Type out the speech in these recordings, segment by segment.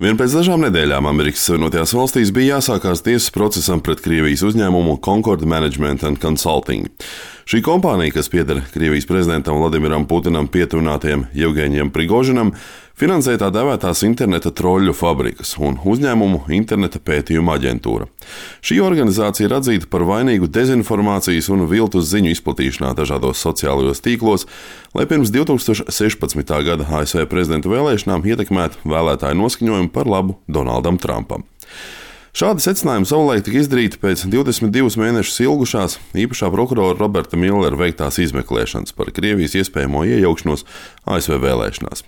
Vien pēc dažām nedēļām Amerikas Savienotajās valstīs bija jāsākās tiesas procesam pret Krievijas uzņēmumu Concord Management and Consulting. Šī kompānija, kas pieder Krievijas prezidentam Vladimiram Putinam pietuvinātajam Jevgeņijam Prigožinam, finansē tā dēvētās interneta troļļu fabrikas un uzņēmumu interneta pētījuma aģentūra. Šī organizācija ir atzīta par vainīgu dezinformācijas un viltus ziņu izplatīšanā dažādos sociālajos tīklos, lai pirms 2016. gada ASV prezidenta vēlēšanām ietekmētu vēlētāju noskaņojumu par labu Donaldam Trumpam. Šādi secinājumi savulaik tika izdarīti pēc 22 mēnešus ilgušās īpašā prokurora Roberta Millera veiktās izmeklēšanas par Krievijas iespējamo iejaukšanos ASV vēlēšanās.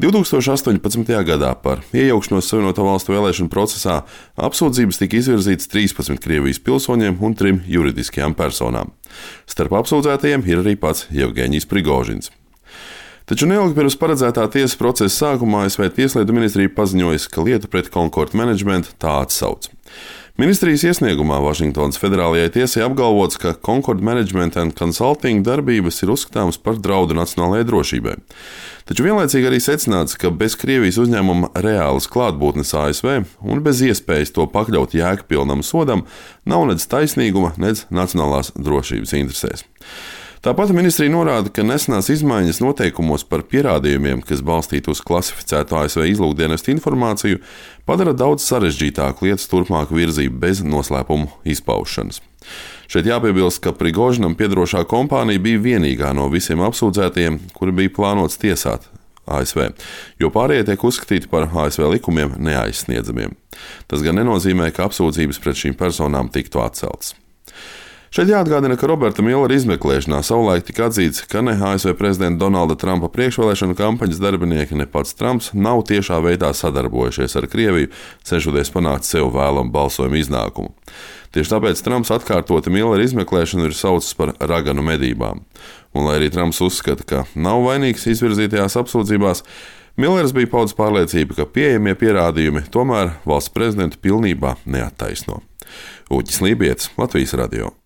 2018. gadā par iejaukšanos Savienoto Valstu vēlēšanu procesā apsūdzības tika izvirzītas 13 Krievijas pilsoņiem un 3 juridiskajām personām. Starp apsūdzētajiem ir arī pats Jevgeņijs Prigožins. Taču neilgi pirms paredzētā tiesas procesa sākumā ASV Tieslietu ministrija paziņoja, ka lietu pret Concord Management tā atsauc. Ministrijas iesniegumā Vašingtonas federālajai tiesai apgalvots, ka Concord Management and Consulting darbības ir uzskatāmas par draudu nacionālajai drošībai. Taču vienlaicīgi arī secināts, ka bez Krievijas uzņēmuma reālas klātbūtnes ASV un bez iespējas to pakļaut jēgpilnam sodam nav nedz taisnīguma, nedz nacionālās drošības interesēs. Tāpat ministrija norāda, ka nesenās izmaiņas noteikumos par pierādījumiem, kas balstīti uz klasificētu ASV izlūkdienestu informāciju, padara daudz sarežģītāku lietas turpmāku virzību bez noslēpumu izpaušanas. Šeit jāpiebilst, ka Prigožinam piederošā kompānija bija vienīgā no visiem apsūdzētajiem, kuri bija plānots tiesāt ASV, jo pārējie tiek uzskatīti par ASV likumiem neaizsniedzamiem. Tas gan nenozīmē, ka apsūdzības pret šīm personām tiktu atceltas. Šeit jāatgādina, ka Roberta Millera izmeklēšanā savulaik tika atzīts, ka ne ASV prezidenta Donalda Trumpa priekšvēlēšanu kampaņas darbinieki, ne pats Trumps nav tiešā veidā sadarbojušies ar Krieviju, cenšoties panākt sev vēlamu balsojumu iznākumu. Tieši tāpēc Trumps atkārtoti Millera izmeklēšanu ir saucis par raganu medībām. Un lai arī Trumps uzskata, ka nav vainīgs izvirzītajās apsūdzībās, Millers bija paudis pārliecību, ka pieejamie pierādījumi tomēr valsts prezidentu pilnībā neattaisno. Uģis Lībietis, Latvijas radio.